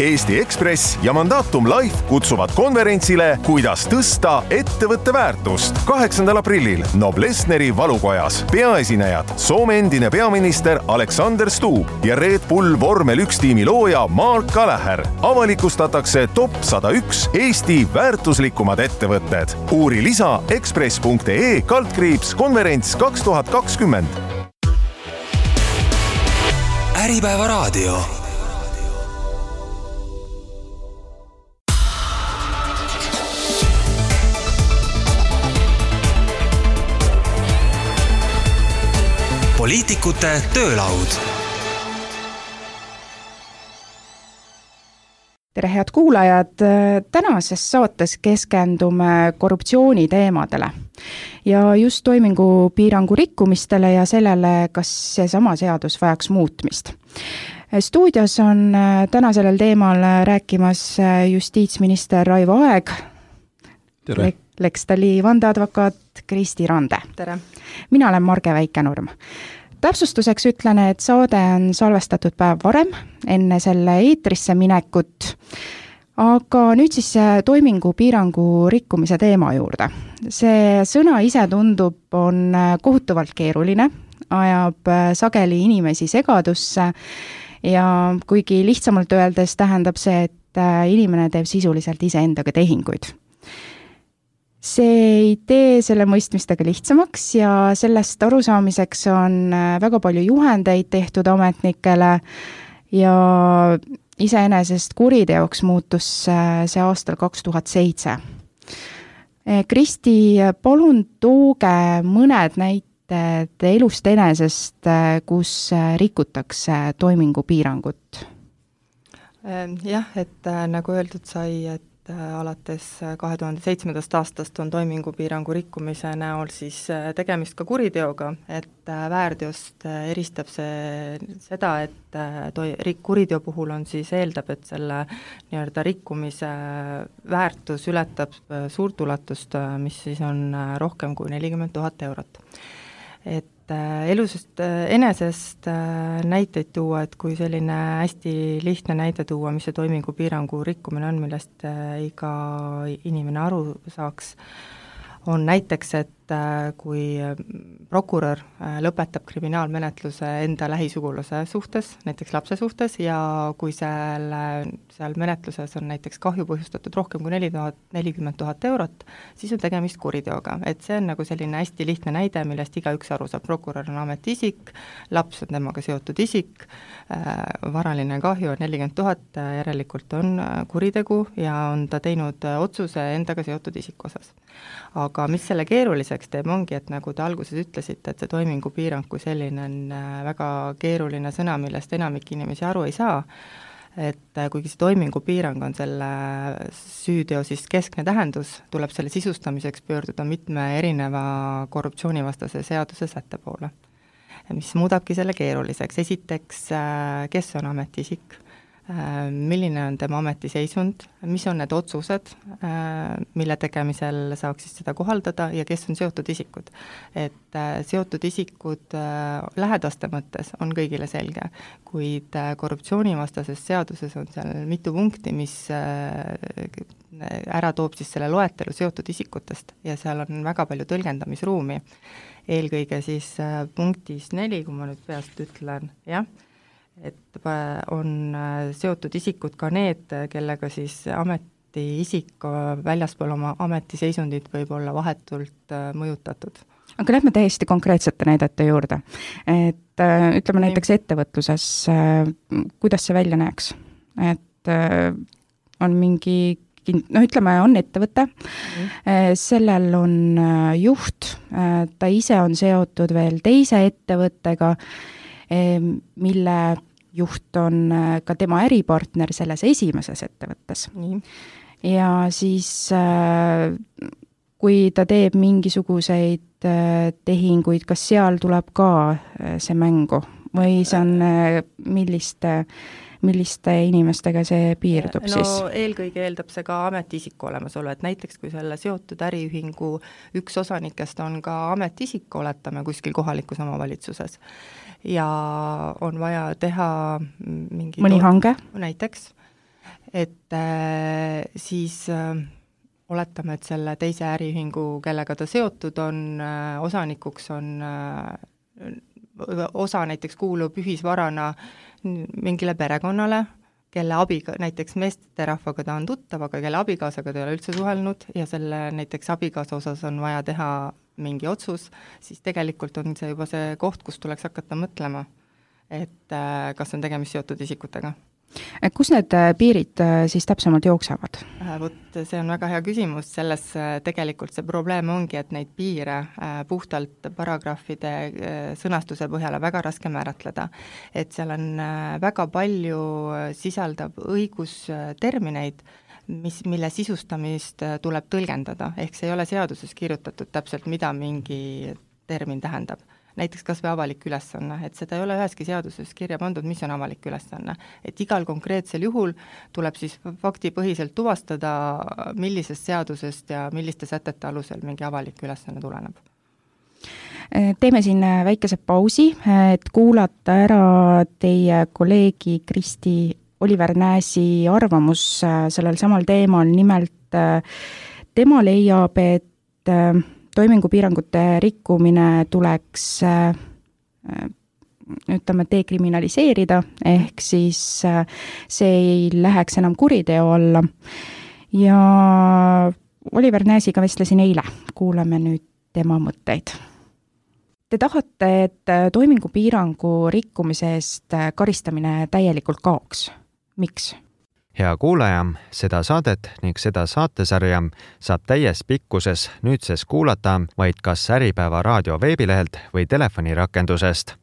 Eesti Ekspress ja Mandatum Life kutsuvad konverentsile Kuidas tõsta ettevõtte väärtust 8. aprillil Noblessneri valukojas. Peaesinejad Soome endine peaminister Alexander Stubb ja Red Bull Vormel 1 tiimi looja Mark Gallagher. Avalikustatakse top 101 Eesti väärtuslikumad ettevõtted. Uuri lisa ekspress.ee/konverents 2020. Äripäeva raadio. Poliitikute töölaud. Tere head kuulajad, tänases saates keskendume korruptsiooni teemadele ja just toimingupiirangu rikkumistele ja sellele, kas seesama seadus vajaks muutmist. Stuudios on täna sellel teemal rääkimas justiitsminister Raivo Aeg. Tere. Lextali vandeadvokaat Kristi Rande. Tere. Mina olen Marge Väikenurm. Täpsustuseks ütlen, et saade on salvestatud päev varem, enne selle eetrisse minekut, aga nüüd siis toimingupiirangu rikkumise teema juurde. See sõna ise tundub on kohutavalt keeruline, ajab sageli inimesi segadusse ja kuigi lihtsamalt öeldes tähendab see, et inimene teeb sisuliselt iseendaga tehinguid. See ei tee selle mõistmistega lihtsamaks ja sellest arusaamiseks on väga palju juhendeid tehtud ametnikele ja iseenesest kuriteoks muutus see aastal 2007. Kristi, palun tooge mõned näited elust enesest, kus rikutakse toimingupiirangut. Jah, et nagu öeldud sai, et alates 2007. aastast on toimingupiirangu rikkumise näol siis tegemist ka kuriteoga, et väärteost eristab seda, et kuriteo puhul on siis eeldab, et selle nii-öelda rikkumise väärtus ületab suurt ulatust, mis siis on rohkem kui 40 000 eurot. Et elusest enesest näiteid tuua, et kui selline hästi lihtne näide tuua, mis see toimingupiirangu rikkumine on, millest iga inimene aru saaks, on näiteks, et kui prokurör lõpetab kriminaalmenetluse enda lähisugulase suhtes, näiteks lapse suhtes, ja kui seal menetluses on näiteks kahju põhjustatud rohkem kui 40 000 eurot, siis on tegemist kuriteoga. Et see on nagu selline hästi lihtne näide, millest igaüks aru saab. Prokurör on ametiisik, laps on temaga seotud isik, varaline kahju on 40 000, järelikult on kuritegu ja on ta teinud otsuse endaga seotud isiku osas. Aga mis selle keeruliseks teeb, ongi, et nagu te alguses ütlesite, et see toimingupiirang kui selline on väga keeruline sõna, millest enamik inimesi aru ei saa, et kuigi see toimingupiirang on selle süüteo siis keskne tähendus, tuleb selle sisustamiseks pöörduda mitme erineva korruptsioonivastase seaduse sätte poole, mis muudabki selle keeruliseks. Esiteks, kes on ametiisik, milline on tema ametiseisund, mis on need otsused, mille tegemisel saaks siis seda kohaldada ja kes on seotud isikud. Et seotud isikud lähedaste mõttes on kõigile selge, kuid korruptsioonivastases seaduses on seal mitu punkti, mis ära toob siis selle loetelu seotud isikutest ja seal on väga palju tõlgendamisruumi. Eelkõige siis punktis 4, kui ma nüüd peast ütlen, jah, et on seotud isikud ka need, kellega siis ametiisik väljaspool oma ametiseisundit võib olla vahetult mõjutatud. Aga lähme täiesti konkreetsete näidete juurde. Et ütleme näiteks ettevõtluses, kuidas see välja näeks? Et on mingi, ütleme, on ettevõte, sellel on juht, ta ise on seotud veel teise ettevõttega, mille juht on ka tema äripartner selles esimeses ettevõttes. Ja siis, kui ta teeb mingisuguseid tehinguid, kas seal tuleb ka see mängu või see on milliste inimestega see piirdub siis? Eelkõige eeldab see ka ametiisiku olemasolu, et näiteks kui selle seotud äriühingu üks osanikest on ka ametiisik, oletame kuskil kohalikus omavalitsuses, ja on vaja teha mingi mõni hange? Näiteks, et siis oletame, et selle teise äriühingu, kellega ta seotud on, osanikuks on osa näiteks kuulub ühisvarana mingile perekonnale, kelle abiga, näiteks meesterahvaga ta on tuttav, aga kelle abikaasaga ta ei ole üldse suhelnud ja selle näiteks abikaasa osas on vaja teha mingi otsus, siis tegelikult on see juba see koht, kus tuleks hakata mõtlema, et kas on tegemist seotud isikutega. Kus need piirid siis täpsemalt jooksevad? Vot see on väga hea küsimus, selles tegelikult see probleem ongi, et neid piire puhtalt paragrahvide sõnastuse põhjal on väga raske määratleda. Et seal on väga palju sisaldab õigustermineid, mille sisustamist tuleb tõlgendada, ehk see ei ole seaduses kirjutatud täpselt, mida mingi termin tähendab. Näiteks kas või avalik ülesanne, et seda ei ole üheski seaduses kirja pandud, mis on avalik ülesanne. Et igal konkreetsel juhul tuleb siis faktipõhiselt tuvastada, millisest seadusest ja milliste sätete alusel mingi avalik ülesanne tuleneb. Teeme siin väikese pausi, et kuulata ära teie kolleegi Kristi Oliver Nääsi arvamus sellel samal teemal. Nimelt tema leiab, et toimingupiirangute rikkumine tuleks dekriminaliseerida, ehk siis see ei läheks enam kuriteo alla. Ja Oliver Nääsiga vestlesin eile, kuulame nüüd tema mõtteid. Te tahate, et toimingupiirangu rikkumise eest karistamine täielikult kaoks. Miks? Hea kuulaja, seda saadet ning seda saatesarja saab täies pikkuses nüüdses kuulata vaid kas Äripäeva raadio veebilehelt või telefonirakendusest.